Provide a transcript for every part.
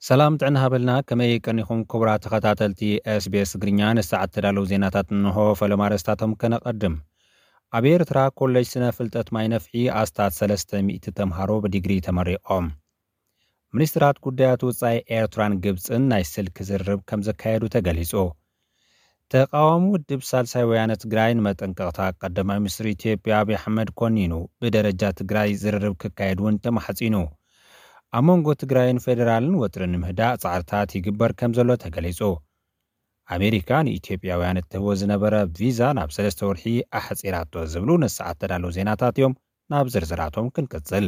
ሰላም ጥዕና ሃበልና። ከመይ ቀኒኹም ክቡራት ተኸታተልቲ SBS ትግርኛ? ንሰዓት ተዳለዉ ዜናታት እንሆ። ፈለማ ኣርእስታቶም ከነቐድም። ኣብ ኤርትራ ኮሌጅ ስነ ፍልጠት ማይ ነፍሒ ኣስታት ሰለስተ ሚእቲ ተምሃሮ ብዲግሪ ተመሪቖም። ሚኒስትራት ጉዳያት ወጻኢ ኤርትራን ግብጽን ናይ ስልኪ ዝርርብ ከም ዘካየዱ ተገሊጹ። ተቓዋሚ ውድብ ሳልሳይ ወያነ ትግራይ ንመጠንቀቕታ ቀዳማይ ሚኒስትር ኢትዮጵያ ኣብይ ኣሕመድ ኮኒኑ፣ ብደረጃ ትግራይ ዝርርብ ክካየድ እውን ተማሕጺኑ። ኣብ መንጎ ትግራይን ፌደራልን ወጥሪ ንምህዳእ ጻዕርታት ይግበር ከም ዘሎ ተገሊጹ። ኣሜሪካ ንኢትዮጵያውያን እትህቦ ዝነበረ ቪዛ ናብ ሰለስተ ወርሒ ኣሕጺራቶ ዝብሉ ንሰዓት ተዳለዉ ዜናታት እዮም። ናብ ዝርዝራቶም ክንቅጽል።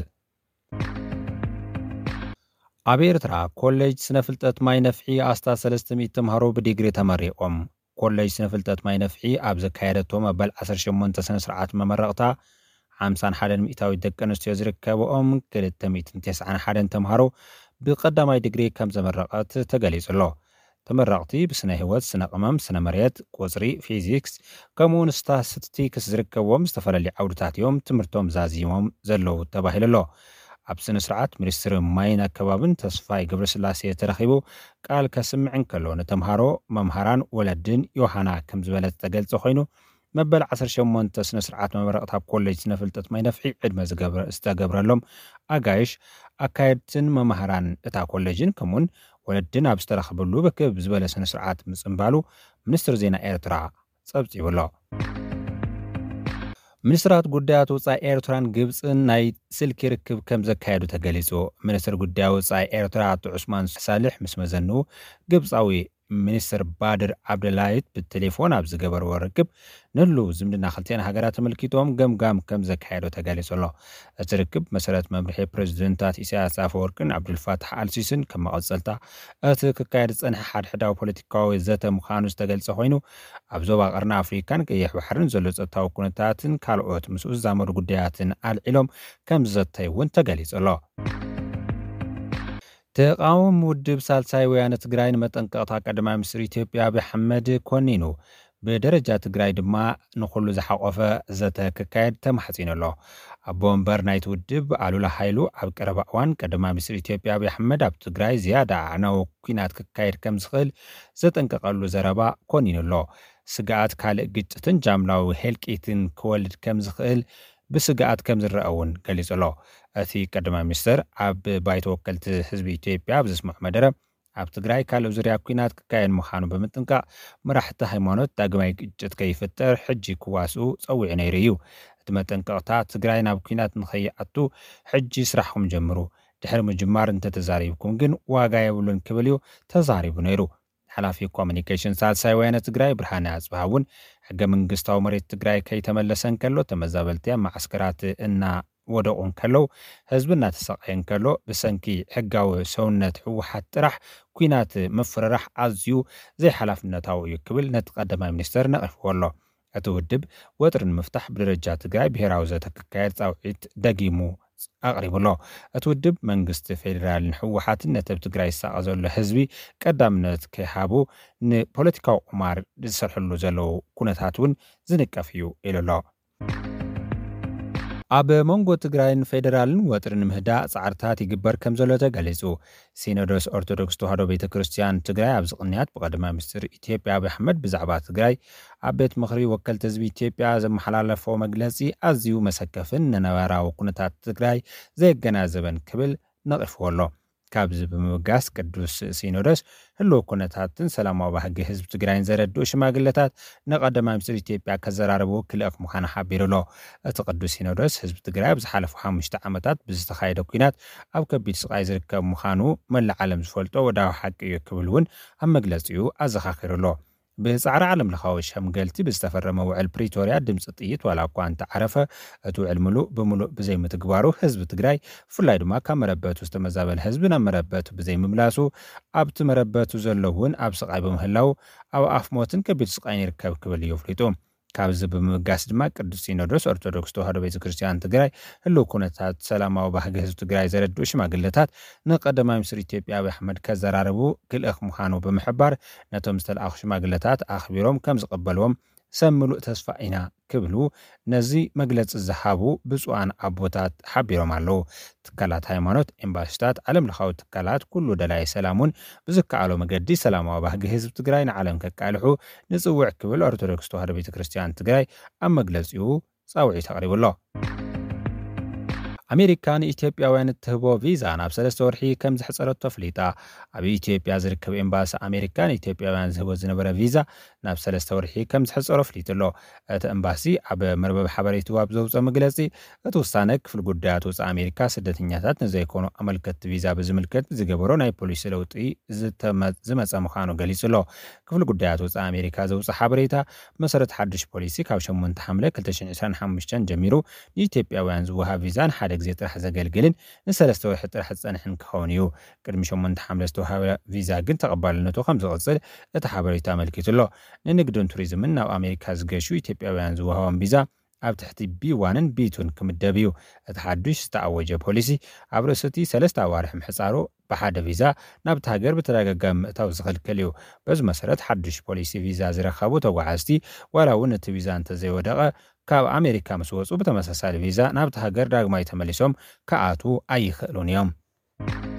ኣብ ኤርትራ ኮሌጅ ስነ ፍልጠት ማይ ነፍሒ ኣስታት ሰለስተ ሚእቲ ተምሃሮ ብዲግሪ ተመሪቖም። ኮሌጅ ስነ ፍልጠት ማይ ነፍሒ ኣብ ዘካየደቶ መበል ዓሰርተ ሸሞንተ ስነ ስርዓት መመረቕታ ሓምሳን ሓደን ሚእታዊት ደቂ ኣንስትዮ ዝርከብኦም ክልተ ሚእትን ተስዓን ሓደን ተምሃሮ ብቐዳማይ ዲግሪ ከም ዘመረቐት ተገሊጹ ኣሎ። ተመረቕቲ ብስነ ህይወት፣ ስነ ቅመም፣ ስነ መሬት፣ ቁጽሪ፣ ፊዚክስ ከምኡ እውን ስታስቲክስ ዝርከብዎም ዝተፈላለዩ ዓውድታት እዮም ትምህርቶም ዛዚሞም ዘለዉ ተባሂሉ ኣሎ። ኣብ ስነ ስርዓት ሚኒስትሪ ማይን ኣከባብን ተስፋይ ገብረስላሴ ተረኺቡ ቃል ከስምዕ እንከሎ፣ ንተምሃሮ፣ መምሃራን ወለድን ዮሃና ከም ዝበለ ዝተገልጸ ኮይኑ፣ መበል ዓሰርተ ሸሞንተ ስነ ስርዓት መመረቕታ ኮሌጅ ስነ ፍልጠት ማይ ነፍሒ ዕድመ ዝገብረ ዝተገብረሎም ኣጋይሽ፣ ኣካየድትን መማህራን እታ ኮሌጅን ከምኡውን ወለድን ኣብ ዝተረኸበሉ ብክብ ዝበለ ስነ ስርዓት ምጽንባሉ ሚኒስትር ዜና ኤርትራ ጸብጺቡ ኣሎ። ሚኒስትራት ጉዳያት ወጻኢ ኤርትራን ግብጽን ናይ ስልኪ ርክብ ከም ዘካየዱ ተገሊጹ። ሚኒስትር ጉዳያት ወጻኢ ኤርትራ ኣቶ ዑስማን ሳልሕ ምስ መዘንኡ ግብጻዊ ሚኒስትር ባድር ዓብደላይት ብቴሌፎን ኣብ ዝገበርዎ ርክብ ንህልው ዝምድና ክልቲኣን ሃገራት ተመልኪቶም ገምጋም ከም ዘካየዱ ተገሊጹ ኣሎ። እቲ ርክብ መሰረት መምርሒ ፕሬዚደንታት ኢሳያስ ኣፈወርቅን ዓብዱልፋታሕ ኣልሲስን ከም መቐጸልታ እቲ ክካየድ ዝጸንሐ ሓድሕዳዊ ፖለቲካዊ ዘተ ምዃኑ ዝተገልጸ ኮይኑ፣ ኣብ ዞባ ቀርኒ ኣፍሪካን ቀይሕ ባሕርን ዘሎ ጸጥታዊ ኩነታትን ካልኦት ምስኡ ዝዛመዱ ጉዳያትን ኣልዒሎም ከም ዝዘተዩ እውን ተገሊጹ ኣሎ። ተቃዋሚ ውድብ ሳልሳይ ወያነ ትግራይ ንመጠንቀቕታ ቀዳማይ ሚኒስትር ኢትዮጵያ ኣብይ ኣሕመድ ኮኒኑ፣ ብደረጃ ትግራይ ድማ ንኹሉ ዝሓቆፈ ዘተ ክካየድ ተማሕጺኑ ኣሎ። ኣቦ ወንበር ናይቲ ውድብ ኣሉላ ሃይሉ ኣብ ቀረባ እዋን ቀዳማይ ሚኒስትር ኢትዮጵያ ኣብይ ኣሕመድ ኣብ ትግራይ ዝያዳ ኣዕናዊ ኲናት ክካየድ ከም ዝኽእል ዘጠንቀቐሉ ዘረባ ኮኒኑ ኣሎ። ስግኣት ካልእ ግጭትን ጃምላዊ ህልቂትን ክወልድ ከም ዝኽእል ብስግኣት ከም ዝረአ እውን ገሊጹ ኣሎ። እቲ ቀዳማይ ሚኒስትር ኣብ ባይቶ ወከልቲ ህዝቢ ኢትዮጵያ ኣብ ዘስምዖ መደረ፣ ኣብ ትግራይ ካልእ ዙርያ ኲናት ክካየድ ምዃኑ ብምጥንቃቕ፣ መራሕቲ ሃይማኖት ዳግማይ ግጭት ከይፍጠር ሕጂ ክዋስኡ ጸዊዑ ነይሩ እዩ። እቲ መጠንቀቕታ፣ ትግራይ ናብ ኲናት ንኸይኣቱ ሕጂ ስራሕኩም ጀምሩ፣ ድሕሪ ምጅማር እንተተዛሪብኩም ግን ዋጋ የብሉን ክብል እዩ ተዛሪቡ ነይሩ። ሓላፊ ኮሚኒኬሽን ሳልሳይ ወያነ ትግራይ ብርሃነ ኣጽብሃ እውን ሕገ መንግስታዊ መሬት ትግራይ ከይተመለሰ እንከሎ፣ ተመዛበልቲ ኣብ ማዓስከራት እናወደቑ እንከለዉ፣ ህዝቢ እናተሰቃየ እንከሎ፣ ብሰንኪ ሕጋዊ ሰውነት ህወሓት ጥራሕ ኲናት ምፍርራሕ ኣዝዩ ዘይሓላፍነታዊ እዩ ክብል ነቲ ቀዳማይ ሚኒስተር ነቒፍዎ ኣሎ። እቲ ውድብ ወጥሪ ንምፍታሕ ብደረጃ ትግራይ ብሄራዊ ዘተ ክካየድ ጻውዒት ደጊሙ ኣቕሪቡ ኣሎ። እቲ ውድብ መንግስቲ ፌዴራልን ህወሓትን ነቲ ኣብ ትግራይ ዝሳቐ ዘሎ ህዝቢ ቀዳምነት ከይሃቡ ንፖለቲካዊ ቁማር ዝሰርሕሉ ዘለዉ ኩነታት እውን ዝንቀፍ እዩ ኢሉ ኣሎ። ኣብ መንጎ ትግራይን ፌዴራልን ወጥሪ ንምህዳእ ጻዕርታት ይግበር ከም ዘሎ ተገሊጹ። ሲኖዶስ ኦርቶዶክስ ተዋህዶ ቤተ ክርስቲያን ትግራይ ኣብዚ ቅንያት ብቐዳማይ ሚኒስትር ኢትዮጵያ ኣብይ ኣሕመድ ብዛዕባ ትግራይ ኣብ ቤት ምኽሪ ወከልቲ ህዝቢ ኢትዮጵያ ዘመሓላለፎ መግለጺ ኣዝዩ መሰከፍን ንነባራዊ ኩነታት ትግራይ ዘየገናዘበን ክብል ነቒፍዎ ኣሎ። ካብዚ ብምብጋስ ቅዱስ ሲኖዶስ ህልው ኩነታትን ሰላማዊ ባህጊ ህዝቢ ትግራይን ዘረድኡ ሽማግለታት ንቀዳማይ ሚኒስትር ኢትዮጵያ ከዘራርቡ ክልእኽ ምዃኑ ሓቢሩ ኣሎ። እቲ ቅዱስ ሲኖዶስ ህዝቢ ትግራይ ኣብ ዝሓለፉ ሓሙሽተ ዓመታት ብዝተኻየደ ኲናት ኣብ ከቢድ ስቓይ ዝርከብ ምዃኑ መላእ ዓለም ዝፈልጦ ወድሃዊ ሓቂ እዩ ክብል እውን ኣብ መግለጺኡ ኣዘኻኺሩ ኣሎ። ብጻዕሪ ዓለም ለኻዊ ሸምገልቲ ብዝተፈረመ ውዕል ፕሪቶርያ ድምፂ ጥይት ዋላ እኳ እንተዓረፈ፣ እቲ ውዕል ምሉእ ብምሉእ ብዘይምትግባሩ ህዝቢ ትግራይ ብፍላይ ድማ ካብ መረበቱ ዝተመዛበለ ህዝቢ ናብ መረበቱ ብዘይምምላሱ ኣብቲ መረበቱ ዘሎ እውን ኣብ ስቓይ ብምህላው ኣብ ኣፍ ሞትን ከቢድ ስቓይን ይርከብ ክብል እዩ ኣፍሊጡ። ካብዚ ብምብጋስ ድማ ቅዱስ ሲኖዶስ ኦርቶዶክስ ተዋህዶ ቤተ ክርስቲያን ትግራይ ህልው ኩነታት ሰላማዊ ባህጊ ህዝቢ ትግራይ ዘረድኡ ሽማግለታት ንቀዳማይ ሚኒስትር ኢትዮጵያ ኣብይ ኣሕመድ ከዘራርቡ ክልእኽ ምዃኑ ብምሕባር ነቶም ዝተለኣኹ ሽማግለታት ኣኽቢሮም ከም ዝቐበልዎም ሰብ ምሉእ ተስፋ ኢና ክብሉ ነዚ መግለጺ ዝሃቡ ብፁዓን ኣቦታት ሓቢሮም ኣለዉ። ትካላት ሃይማኖት፣ ኤምባሲታት፣ ዓለም ለኻዊ ትካላት፣ ኩሉ ደላይ ሰላም እውን ብዝከኣሎ መገዲ ሰላማዊ ባህጊ ህዝቢ ትግራይ ንዓለም ከቃልሑ ንጽውዕ ክብል ኦርቶዶክስ ተዋህዶ ቤተ ክርስቲያን ትግራይ ኣብ መግለጺኡ ጻውዒት ኣቕሪቡ ኣሎ። ኣሜሪካ ንኢትዮጵያውያን እትህቦ ቪዛ ናብ ሰለስተ ወርሒ ከም ዘሕጸረቶ ኣፍሊጣ። ኣብ ኢትዮጵያ ዝርከብ ኤምባሲ ኣሜሪካ ንኢትዮጵያውያን ዝህቦ ዝነበረ ቪዛ ናብ ሰለስተ ወርሒ ከም ዘሕጸሮ ኣፍሊጡ ኣሎ። እቲ ኤምባሲ ኣብ መርበብ ሓበሬትኡ ኣብ ዘውፅኦ መግለፂ፣ እቲ ውሳነ ክፍሊ ጉዳያት ወፃኢ ኣሜሪካ ስደተኛታት ንዘይኮኑ ኣመልከትቲ ቪዛ ብዝምልከት ዝገበሮ ናይ ፖሊሲ ለውጢ ዝተመ- ዝመፀ ምዃኑ ገሊጹ ኣሎ። ክፍሊ ጉዳያት ወፃኢ ኣሜሪካ ዘውፅኦ ሓበሬታ መሰረት ሓድሽ ፖሊሲ ካብ ሸሞንተ ሓምለ ክልተ ሽሕን ዕስራን ሓሙሽተን ጀሚሩ ንኢትዮጵያውያን ዝወሃብ ቪዛ ንሓደ ግዜ ጥራሕ ዘገልግልን ንሰለስተ ወርሒ ጥራሕ ዝፀንሕን ክኸውን እዩ። ቅድሚ ሸሞንተ ሓምለ ዝተወሃበ ቪዛ ግን ተቐባልነቱ ከም ዝቕፅል እቲ ሓበሬታ ኣመልኪቱ ኣሎ። ንንግድን ቱሪዝምን ናብ ኣሜሪካ ዝገሹ ኢትዮጵያውያን ዝወሃቦም ቪዛ ኣብ ትሕቲ ቢ ዋንን ቢ ቱን ክምደብ እዩ። እቲ ሓዱሽ ዝተኣወጀ ፖሊሲ ኣብ ርእሲ እቲ ሰለስተ ኣዋርሕ ምሕፃሩ ብሓደ ቪዛ ናብቲ ሃገር ብተደጋጋሚ ምእታው ዝኽልክል እዩ። በዚ መሰረት ሓዱሽ ፖሊሲ ቪዛ ዝረኸቡ ተጓዓዝቲ ዋላ እውን እቲ ቪዛ እንተዘይወደቐ ካብ ኣሜሪካ ምስ ወፁ ብተመሳሳሊ ቪዛ ናብቲ ሃገር ዳግማይ ተመሊሶም ክኣትዉ ኣይኽእሉን እዮም።